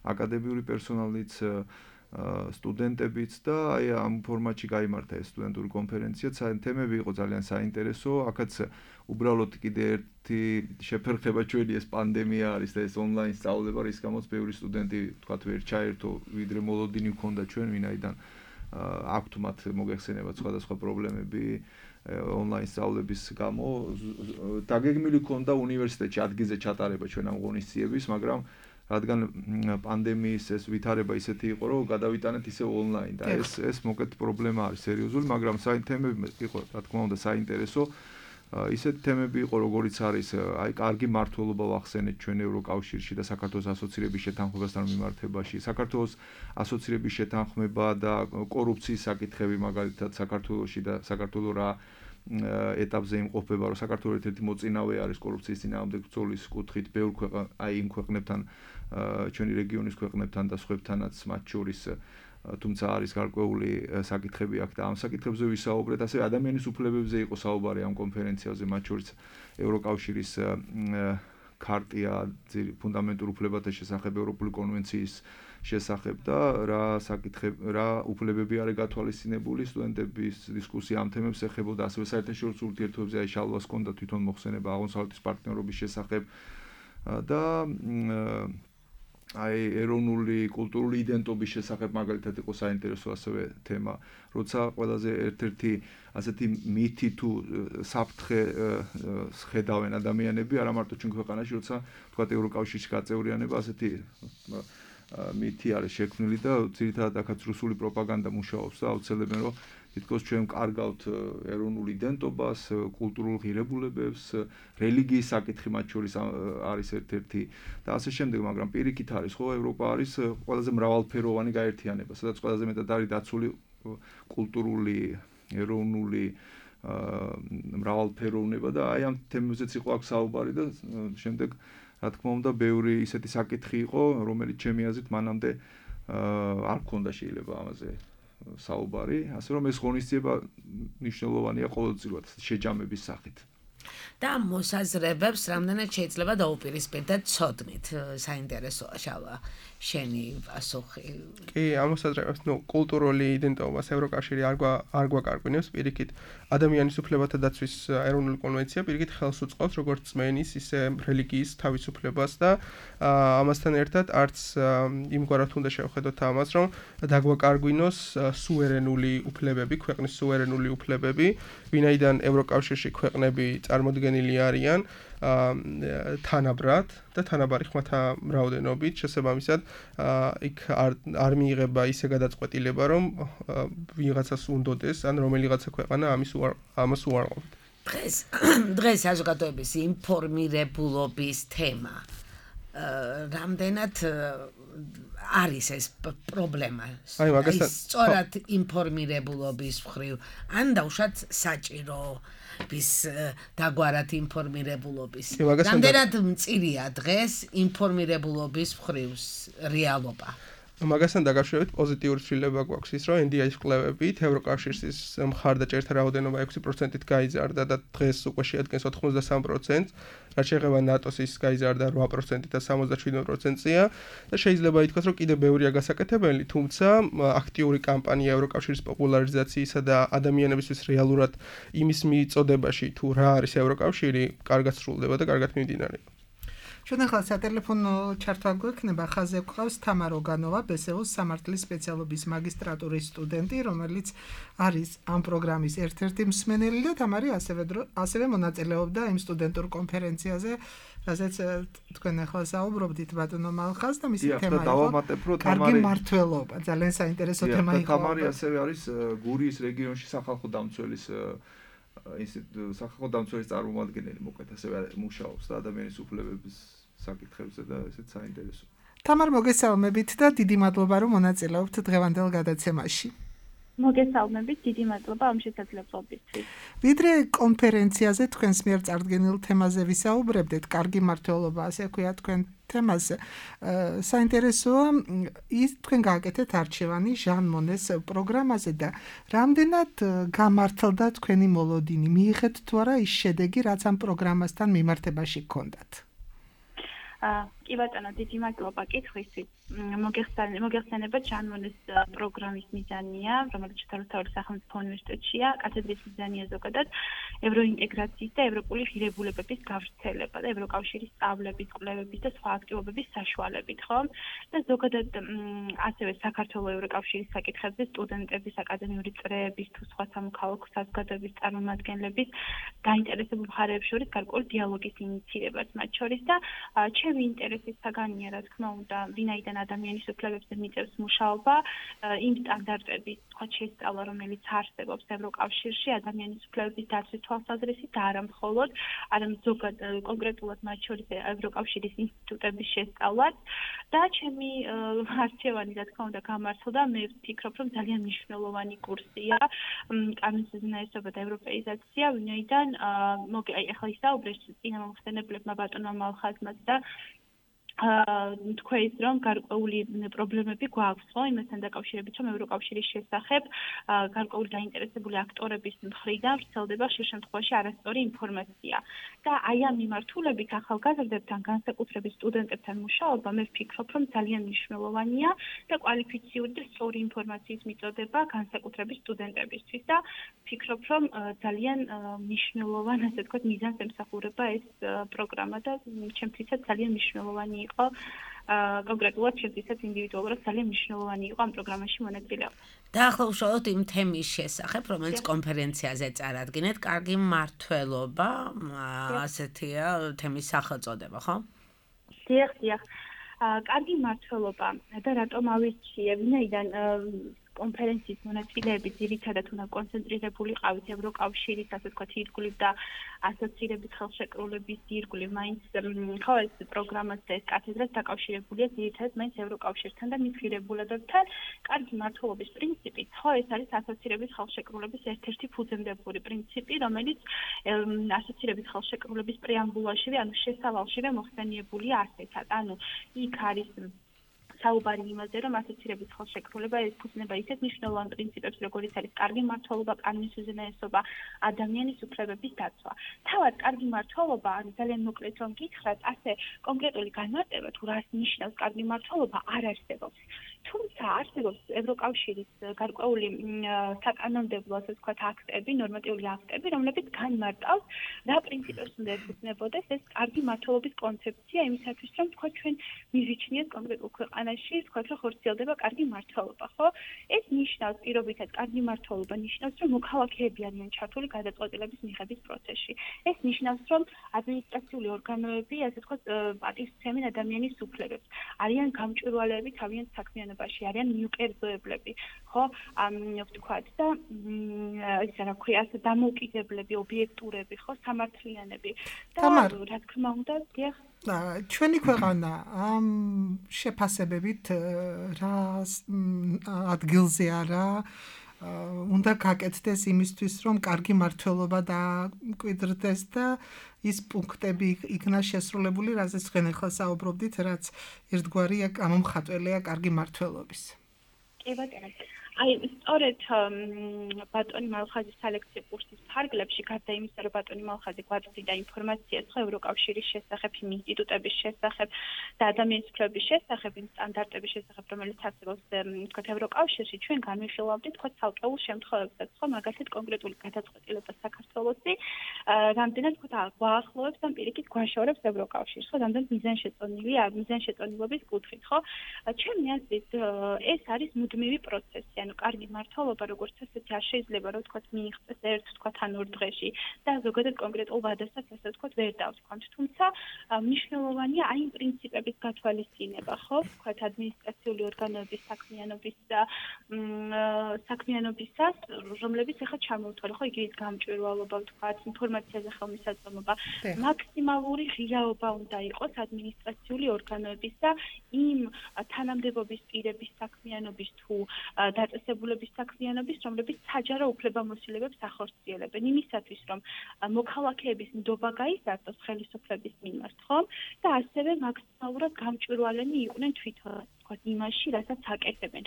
აკადემიური პერსონალიც სტუდენტებიც და აი ამ ფორმატში გაიმართა ეს სტუდენტური კონფერენცია. თემები იყო ძალიან საინტერესო. აქაც უბრალოდ კიდე ერთი შეფერხება ჩვენი ეს პანდემია არის და ეს ონლაინ სწავლება, რის გამოც ბევრი სტუდენტი თქვათ ვერ ჩაერთო, ვიდრე მოლოდინი ჰქონდა ჩვენ, ვინაიდან აქვთ მათ მოგეხსენებათ სხვადასხვა პრობლემები ონლაინ სწავლების გამო. დაგეგმილი ჰქონდა უნივერსიტეტში ადგილზე ჩატარება ჩვენ ამ ღონისძიების, მაგრამ რადგან პანდემიის ეს ვითარება ისეთი იყო, რომ გადავიტანეთ ისე ონლაინ და ეს მოკეთ პრობლემა არის სერიოზული, მაგრამ თემები იყო, რა თქმა უნდა, საინტერესო. ისეთი თემები იყო, როგორიც არის, აი, კარგი მმართველობა ვახსენეთ ჩვენ ევროკავშირში და საქართველოს ასოცირების შეთანხმებასთან მიმართებაში. საქართველოს ასოცირების შეთანხმება და კორუფციის საკითხები მაგალითად საქართველოში და საქართველოს რა ეტაპზე იმყოფება, რომ საქართველოს ერთ-ერთი მოწინავე არის კორუფციის წინააღმდეგ ბრძოლის კუთხით, ბევრ აი იმ ქვეყნებთან, ჩვენი რეგიონის ქვეყნებთან და სხვებთანაც მათ შორის, თუმცა არის გარკვეული საკითხები აქ და ამ საკითხებზე ვისაუბრეთ, ასევე ადამიანის უფლებებზე იყო საუბარი ამ კონფერენციაზე, მათ შორის ევროკავშირის ქარტია ფუნდამენტურ უფლებათა შესახებ, ევროპული კონვენციის შესახებ და რა უფლებები არის გათვალისწინებული სტუდენტების დისკუსია ამ თემებს ეხებოდა, ასევე საერთაშორისო ურთიერთობებზე აი შალვას ჰქონდა თვითონ მოხსენება აღმოსავლეთის პარტნიორობის შესახებ და აი ეროვნული კულტურული იდენტობის შესახებ მაგალითად იყო საინტერესო ასევე თემა, როცა ყველაზე ერთ-ერთი ასეთი მითი თუ საფრთხე ხედავენ ადამიანები, არა მარტო ჩვენ ქვეყანაში, როცა თქვათ ევროკავშირში გაწევრიანება ასეთი მითი არის შექმნილი და ძირითადად აქაც რუსული პროპაგანდა მუშაობს და აუცილებენ რომ თითქოს ჩვენ კარგავთ ეროვნულ იდენტობას, კულტურულ ღირებულებებს, რელიგიის საკითხი მათ შორის არის ერთ-ერთი და ასე შემდეგ, მაგრამ პირიქით არის ხო, ევროპა არის ყველაზე მრავალფეროვანი გაერთიანება, სადაც ყველაზე მეტად არის დაცული კულტურული, ეროვნული მრავალფეროვნება და აი ამ თემებზეც იყო აქ საუბარი და შემდეგ რა თქმა უნდა, ბევრი ისეთი საკითხი იყო, რომელიც ჩემი აზრით მანამდე არ მქონდა შეიძლება ამაზე საუბარი, ასე რომ ეს ღონისძიება მნიშვნელოვანია ყოველწლიურად შეჯამების სახით. და მოსაზრებებს რამდენად შეიძლება დაუპირისპირდეთ ცოდნით, საინტერესოა შალვა შენი პასუხი. კი, ამ მოსაზრებებს, კულტურული იდენტობას ევროკავშირი არ გვაკარგვინებს, პირიქით ადამიანის უფლებათა დაცვის ეროვნული კონვენცია პირიქით ხელს უწყობს როგორც წმენის, ისე რელიგიის თავისუფლებას და ამასთან ერთად არც იმგვარად უნდა შევხედოთ ამას, რომ დაგვაკარგვინოს სუვერენული უფლებები, ქვეყნის სუვერენული უფლებები, ვინაიდან ევროკავშირში ქვეყნები წარმოდგენილი არიან თანაბრად და თანაბარი ხმათა მრავლენობით, შესაბამისად იქ არ მიიღება ისე გადაწყვეტილება, რომ ვიღაცას უნდოდეს, ან რომელიღაცა ქვეყანა ამას უარყოფთ. დღეს საზოგადოების ინფორმირებულობის თემა რამდენად არის ეს პრობლემა? სწორად ინფორმირებულობის მხრივ, ან დაუშვათ საჭირო დაგვარად ინფორმირებულობის. რამდენად მწირია დღეს ინფორმირებულობის მხრივ რეალობა? მაგასთან დაკავშირებით პოზიტიური ცვლილება გვაქვს ის, რომ NDI-ის კვლევებით ევროკავშირის მხარდაჭერთა რაოდენობა 6%-ით გაიზარდა და დღეს უკვე შეადგენს 83%, რაც შეეხება ნატოს ის გაიზარდა 8%-ით და 77%-ია და შეიძლება ითქვას, რომ კიდევ ბევრია გასაკეთებელი, თუმცა აქტიური კამპანია ევროკავშირის პოპულარიზაციისა და ადამიანებისთვის რეალურად იმის მიწოდებაში თუ რა არის ევროკავშირი, კარგად სრულდება და კარგად მიმდინარეობს. ჩვენ ახლა სატელეფონო ჩართვა გვექნება, ხაზზე გვყავს თამარ ოგანოვა, ბესეოს სამართლის სპეციალობის მაგისტრატურის სტუდენტი, რომელიც არის ამ პროგრამის ერთ-ერთი მსმენელი და თამარი ასევე მონაწილეობდა იმ სტუდენტურ კონფერენციაზე, რაზეც თქვენ ახლა საუბრობდით ბატონო მალხას და მისი თემა იყო კარგი მმართველობა, ძალიან საინტერესო თემა იყო. თამარი ასევე არის გურიის რეგიონში სახალხო დამცველის წარმომადგენელი, მოკლედ ასევე მუშაობს და ადამიანის უფლებების საკითხებზე და ესეც საინტერესო. თამარ, მოგესალმებით და დიდი მადლობა, რომ მონაწილეობთ დღევანდელ გადაცემაში. მოგესალმებით, დიდი მადლობა ამ შესაძლებლობისთვის. ვიდრე კონფერენციაზე თქვენს მიერ წარდგენილ თემაზე ვისაუბრებდეთ, კარგი მმართველობა, ასე ქვია თქვენ თემას. საინტერესოა ის თქვენ გააკეთეთ არჩევანი ჟან მონეს პროგრამაზე და რამდენად გამართლდა თქვენი მოლოდინი? მიიღეთ თუ არა ის შედეგი, რაც ამ პროგრამასთან მიმართებაში გქონდათ? კი ბატონო, დიდი მადლობა კითხვისთვის. მოგეხსენება ჯანმონის პროგრამის მიზანია, რომელიც შეთანხმებული სახელმწიფო უნივერსიტეტშია, კათედრის მიზანია ზოგადად ევროინტეგრაციის და ევროპული ღირებულებების გავრცელება და ევროკავშირის სწავლების, კვლევების და სხვა აქტივობების საშუალებით, ხო? და ზოგადად ასევე საქართველოს ევროკავშირის საკითხებზე სტუდენტების, აკადემიური წრეების თუ სხვა სამოქალაქო საზოგადოების წარმომადგენლების გაინტერესებულ მხარეებს შორის გარკვეული დიალოგის ინიციირებას მათ შორის და ჩემი ინტერესის საგანია, რა თქმა უნდა, ვინაიდან ადამიანის უფლებებზე მიწევს მუშაობა, იმ სტანდარტების სხვა შესწავლა, რომელიც არსებობს ევროკავშირში ადამიანის უფლებების დაცვის თვალსაზრისით და არა მხოლოდ, არამედ ზოგადად კონკრეტულად მათ შორის ევროკავშირის ინსტიტუტების შესწავლაც და ჩემი არჩევანი, რა თქმა უნდა, გამართლდა, მე ვფიქრობ, რომ ძალიან მნიშვნელოვანი კურსია კანონის უზენაესობა და ევროპეიზაცია, ვინაიდან ახლა ისაუბრეს წინა მომხსენებლებმა ბატონმა მალხაზმაც და თქვა ის რომ გარკვეული პრობლემები გვაქვს ხო იმასთან დაკავშირებით რომ ევროკავშირის შესახებ გარკვეული დაინტერესებული აქტორების მხრიდან ვრცელდება ხშირ შემთხვევაში არასწორი ინფორმაცია და აი ამ მიმართულებით ახალგაზრდებთან განსაკუთრებით სტუდენტებთან მუშაობა მე ვფიქრობ რომ ძალიან მნიშვნელოვანია და კვალიფიციური და სწორი ინფორმაციის მიწოდება განსაკუთრებით სტუდენტებისთვის და ვფიქრობ რომ ძალიან მნიშვნელოვან ასე ვთქვათ მიზანს ემსახურება ეს პროგრამა და ჩემთვისაც ძალიან მნიშვნელოვანი იყო კონკრეტულად ჩემთვისაც ინდივიდუალურად ძალიან მნიშვნელოვანი იყო ამ პროგრამაში მონაწილეობა. და ახლა უშუალოდ იმ თემის შესახებ, რომელიც კონფერენციაზე წარადგინეთ, კარგი მმართველობა, ასეთია თემის სახელწოდება, ხო? დიახ. კარგი მმართველობა და რატომ ავირჩიე, ვინაიდან კონფერენციის მონაწილეები ძირითადად უნდა კონცენტრირებული ყავით ევროკავშირის, ასე ვთქვათ, ირგვლივ და ასოცირების ხელშეკრულების ირგვლივ, მაინც ხო ეს პროგრამაც და ეს კათედრაც დაკავშირებულია ძირითადად მაინც ევროკავშირთან და მის ღირებულებებთან. კარგი მმართველობის პრინციპით, ხო ეს არის ასოცირების ხელშეკრულების ერთ-ერთი ფუძემდებელი პრინციპი, რომელიც ასოცირების ხელშეკრულების პრეამბულაშივე, ანუ შესავალშივე მოხსენიებულია ასეთად. ანუ იქ არის საუბარი იმაზე, რომ ასოცირების ხელშეკრულება ეფუძნება ისეთ მნიშვნელოვან პრინციპებს, როგორიც არის კარგი მმართველობა, კანონის უზენაესობა, ადამიანის უფლებების დაცვა. თავად კარგი მმართველობა, ანუ ძალიან მოკლედ რომ გითხრათ, ასე კონკრეტული განმარტება თუ რას ნიშნავს კარგი მმართველობა არ არსებობს. თუმცა არსებობს ევროკავშირის გარკვეული საკანონმდებლო, ასე ვთქვათ, აქტები, ნორმატიული აქტები, რომლებიც განმარტავს, რა პრინციპებს უნდა ეფუძნებოდეს ეს კარგი მმართველობის კონცეფცია იმისათვის, რომ თქვა ჩვენ მივიჩნიოთ კონკრეტულ ქვეყანაში, ვთქვათ, რომ ხორციელდება კარგი მმართველობა, ხო? ეს ნიშნავს პირობითად კარგი მმართველობა ნიშნავს, რომ მოქალაქეები არიან ჩართული გადაწყვეტილების მიღების პროცესში. ეს ნიშნავს, რომ ადმინისტრაციული ორგანოები, ასე ვთქვათ, პატივსცემენ ადამიანის უფლებებს. არიან გამჭვირვალეები თავიანთ საქმიანობაში, არიან მიუკერძოებლები, ხო? ვთქვათ და ისა რა ქვია, ასე დამოუკიდებლები, ობიექტურები, ხო, სამართლიანები. და რა თქმა უნდა, დიახ ჩვენი ქვეყანა ამ შეფასებებით რა ადგილზე არა უნდა გაკეთდეს იმისთვის, რომ კარგი მმართველობა დაკვიდრდეს და ის პუნქტები იქნა შესრულებული, რაზეც თქვენ ახლა საუბრობდით, რაც ერთგვარია გამომხატველია კარგი მმართველობის. კი ბატონო. აი, სწორედ ბატონი მალხაზის სალექციო კურსის ფარგლებში, გარდა იმისა, რომ ბატონი მალხაზი გვაწვდიდა ინფორმაციას ხო ევროკავშირის შესახებ, იმ ინსტიტუტების შესახებ და ადამიანის უფლებების შესახებ, იმ სტანდარტების შესახებ, რომელიც არსებობს, ვთქვათ, ევროკავშირში, ჩვენ განვიხილავდით, ვთქვათ, ცალკეულ შემთხვევებსაც, ხო, მაგალითად კონკრეტული გადაწყვეტილება საქართველოსი, რამდენად, ვთქვათ, გვაახლოვებს ან პირიქით გვაშორებს ევროკავშირს, ხო, რამდენად მიზანშეწონილობის კუთხით, ხო? ჩემი აზრით, ეს არის მუდმივი პროცესი. ანუ კარგი მმართველობა როგორც ასეთი არ შეიძლება რომ ვთქვათ მიიღწეს ერთ ვთქვათ ან ორ დღეში და ზოგადად კონკრეტულ ვადასაც ასე ვთქვათ ვერ დავსვამთ. თუმცა მნიშვნელოვანია აი იმ პრინციპების გათვალისწინება, ხო? ვთქვათ ადმინისტრაციული ორგანოების საქმიანობისას, რომლებიც ახლა ჩამოვთვალე, ხო, იგივე გამჭვირვალობა, ვთქვათ, ინფორმაციაზე ხელმისაწვდომობა, მაქსიმალური ღირაობა უნდა იყოს ადმინისტრაციული ორგანოების და იმ თანამდებობის პირების საქმიანობის თუ დაწესებულების საქმიანობის, რომლებიც საჯარო უფლებამოსილებებს ახორციელებენ იმისათვის, რომ მოქალაქეების ნდობა გაიზარდოს ხელისუფლების მიმართ, ხო? და ასევე მაქსიმალურად გამჭვირვალენი იყვნენ თვითონ ვთქვათ იმაში, რასაც აკეთებენ,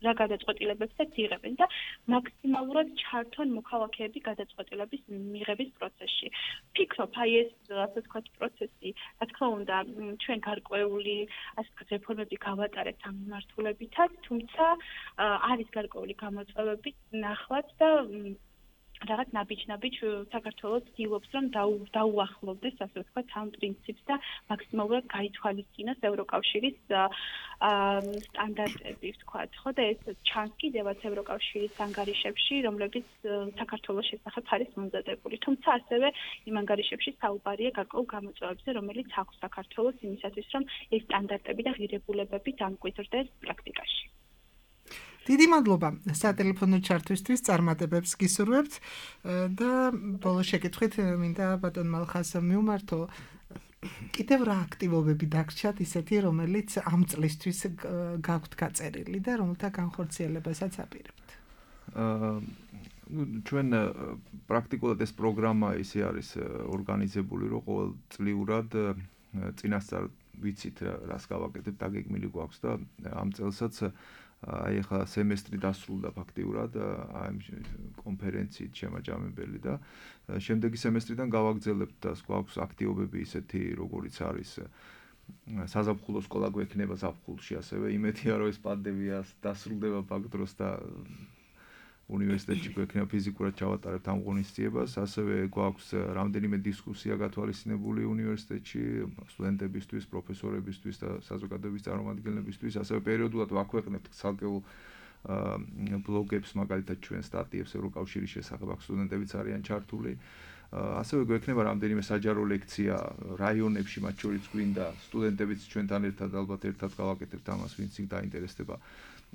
რა გადაწყვეტილებებსაც იღებენ და მაქსიმალურად ჩართონ მოქალაქეები გადაწყვეტილების მიღების პროცესში. ვფიქრობ, აი ეს ასე ვთქვათ პროცესი, რაც თქმა უნდა, ჩვენ გარკვეული ასე ვთქვათ, რეფორმები გავატარეთ ამ მიმართულებითაც, თუმცა არის გარკვეული გამოწვევები ნახლად და რაღაც ნაბიჯ საქართველოს ცდილობს რომ დაუახლოვდეს ასე ვთქვათ ამ პრინციპს და მაქსიმალურად გაითვალისწინოს ევროკავშირის სტანდარტები ვთქვათ, ხო და ეს ჩანს კიდევაც ევროკავშირის ანგარიშებში, რომლებიც საქართველოს შესახებ არის მომზადებული. თუმცა ასევე იმ ანგარიშებში საუბარია გარკვეულ გამოწვევებზე, რომელიც აქვს საქართველოს იმისათვის, რომ ეს სტანდარტები და ღირებულებები დამკვიდრდეს პრაქტიკაში. დიდი მადლობა სატელეფონო ჩართვისთვის, წარმატებებს გისურვებთ და ბოლო შეკითხვით მინდა ბატონ მალხას მივმართო. კიდევ რა აქტივობები დაგრჩათ ისეთი, რომელიც ამ წლისთვის გაქვთ გაწერილი და რომელთა განხორციელებასაც აპირებთ? ჩვენ პრაქტიკულად ეს პროგრამა ისე არის ორგანიზებული, რომ ყოველწლიურად წინასწარ ვიცით რას გავაკეთებთ, დაგეგმილი გვაქვს და ამ წელსაც აი ახლა სემესტრი დასრულდა ფაქტიურად აი კონფერენციით შემაჯამებელი და შემდეგი სემესტრიდან გავაგრძელებთ და გვაქვს აქტივობები ისეთი როგორიც არის საზაფხულო სკოლა გვექნება ზაფხულში ასევე იმედია რომ ეს პანდემია დასრულდება ბაქ დროს და უნივერსიტეტში გვექნება ფიზიკურად ჩავატარებთ ამ ღონისძიებას ასევე გვაქვს რამდენიმე დისკუსია გათვალისწინებული უნივერსიტეტში სტუდენტებისთვის, პროფესორებისთვის და საზოგადოების წარმომადგენლებისთვის ასევე პერიოდულად ვაქვეყნებთ ცალკეულ ბლოგებს მაგალითად ჩვენ სტატიებს ევროკავშირის შესახებ აქ სტუდენტებიც არიან ჩართული ასევე გვექნება რამდენიმე საჯარო ლექცია რაიონებში მათ შორის გვინდა სტუდენტებიც ჩვენთან ერთად ალბათ ერთად გავაკეთებთ ამას ვინც დაინტერესდება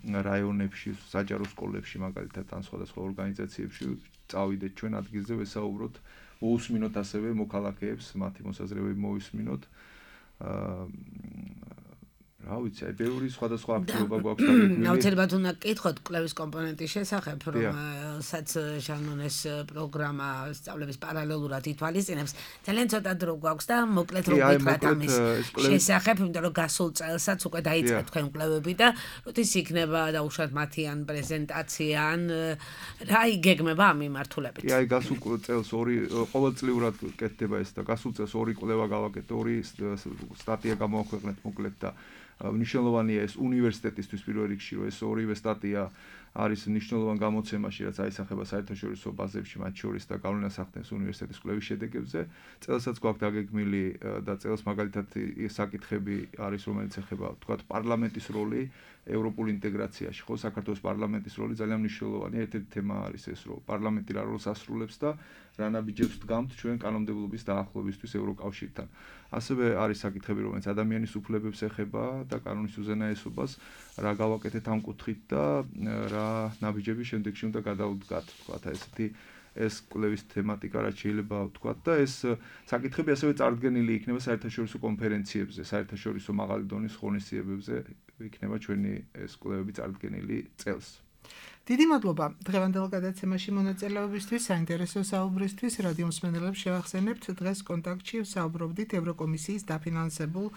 რაიონებში, საჯარო სკოლებში მაგალითად ან სხვადასხვა ორგანიზაციებში წავიდეთ ჩვენ ადგილზე ვესაუბროთ, მოусმინოთ ასევე მოქალაქეებს, მათი მოსაზრებები მოვისმინოთ. რა ვიცი, აი ბევრი სხვადასხვა აქტივობა გვაქვს დაგეგმილი. აუცილებლად უნდა გკითხოთ კვლევის კომპონენტის შესახებ, რომელსაც ჟანონეს პროგრამა სწავლების პარალელურად ითვალისწინებს. ძალიან ცოტა დრო გვაქვს და მოკლედ რომ გითხრათ ამის შესახებ, იმიტომ რომ გასულ წელსაც უკვე დაიწყეთ თქვენ კვლევები და როდის იქნება დაუშვათ მათი ან პრეზენტაცია ან რა იგეგმება ამ მიმართულებით. კი, აი გასულ წელს ყოველწლიურად კეთდება ეს და გასულ წელს ორი კვლევა გავაკეთეთ, ორი სტატია გამოვაქვეყნეთ მოკლედ და მნიშვნელოვანია ეს უნივერსიტეტისთვის პირველ რიგში რომ ეს ორივე სტატია არის მნიშვნელოვან გამოცემაში რაც აისახება საერთაშორისო ბაზებში მათ შორის და გავლენას ახდენს უნივერსიტეტის კვლევის შედეგებზე წელსაც გვაქვს დაგეგმილი და წელს მაგალითად საკითხები არის რომელიც ეხება თქვათ პარლამენტის როლი ევროპულ ინტეგრაციაში ხო საქართველოს პარლამენტის როლი ძალიან მნიშვნელოვანია ერთ-ერთი თემა არის ეს რომ პარლამენტი რა როლს ასრულებს და რა ნაბიჯებს დგამთ ჩვენ კანონმდებლობის დაახლოებისთვის ევროკავშირთან ასევე არის საკითხები რომელიც ადამიანის უფლებებს ეხება და კანონის უზენაესობას რა გავაკეთეთ ამ კუთხით და რა ნაბიჯები შემდეგში უნდა გადავდგათ თქვათ ესეთი ეს კვლევის თემატიკა რაც შეიძლება ვთქვათ და ეს საკითხები ასევე წარდგენილი იქნება საერთაშორისო კონფერენციებზე საერთაშორისო მაღალი დონის ღონისძიებებზე იქნება ჩვენი ეს კვლევები წარდგენილი წელს დიდი მადლობა დღევანდელ გადაცემაში მონაწილეობისთვის, საინტერესო საუბრისთვის. რადიო მსმენელებს შევახსენებთ, დღეს კონტაქტში საუბრობდით ევროკომისიის დაფინანსებულ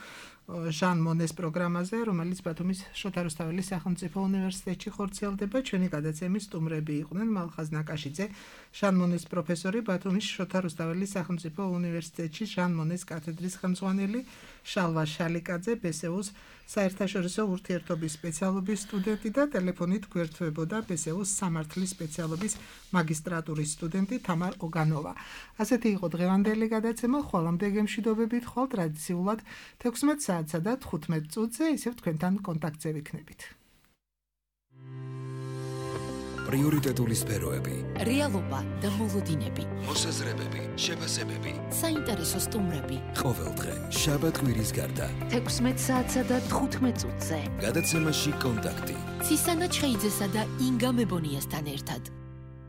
ჟან მონეს პროგრამაზე, რომელიც ბათუმის შოთა რუსთაველის სახელმწიფო უნივერსიტეტში ხორციელდება. ჩვენი გადაცემის სტუმრები იყვნენ მალხაზ ნაკაშიძე, ჟან მონეს პროფესორი, ბათუმის შოთა რუსთაველის სახელმწიფო უნივერსიტეტში ჟან მონეს კათედრის ხელმძღვანელი, შალვა შალიკაძე, ბესეუს საერთაშორისო ურთიერთობის სპეციალობის სტუდენტი და ტელეფონით გვერდთვებოდა ბესეუს სამართლის სპეციალობის მაგისტრატურის სტუდენტი თამარ ოგანოვა. ასეთი იყო დღევანდელი გადაცემა, ხვალამდე გემშვიდობებით, ხვალ ტრადიციულად 16 საათსა და 15 წუთზე ისევ თქვენთან კონტაქტზე ვიქნებით. პრიორიტეტული სფეროები, რეალობა და მოლოდინები, მოსაზრებები, შეფასებები, საინტერესო სტუმრები. ყოველდღე, შაბათ-კვირის გარდა. 16 საათსა და 15 წუთზე. გადაცემაში კონტაქტი. ცისანა ჩხეიძესა და ინგა მებონიასთან ერთად.